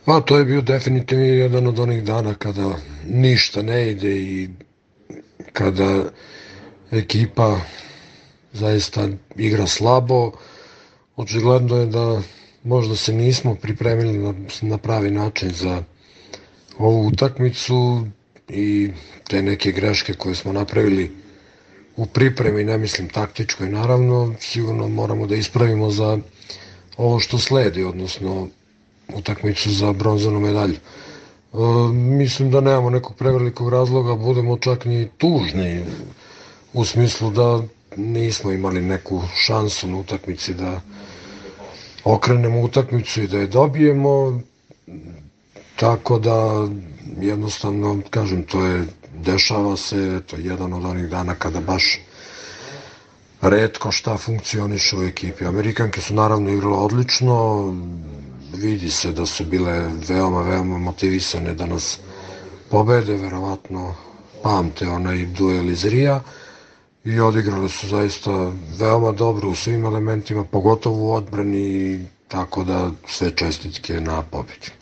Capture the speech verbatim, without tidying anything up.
Pa to je bio definitivno jedan od onih dana kada ništa ne ide i kada ekipa zaista igra slabo. Očigledno je da možda se nismo pripremili na, na pravi način za ovu utakmicu i te neke greške koje smo napravili u pripremi, ne mislim taktičkoj naravno, sigurno moramo da ispravimo za ovo što sledi, odnosno utakmicu za bronzanu medalju. E, mislim da nemamo nekog prevelikog razloga, budemo čak ni tužni u smislu da nismo imali neku šansu na utakmici da okrenemo utakmicu i da je dobijemo, tako da jednostavno, kažem, to je, dešava se, to je jedan od onih dana kada baš retko šta funkcioniše u ekipi. Amerikanke su naravno igrale odlično, vidi se da su bile veoma, veoma motivisane da nas pobede, verovatno pamte onaj duel iz Rija i odigrale su zaista veoma dobro u svim elementima, pogotovo u odbrani, tako da sve čestitke na pobedi.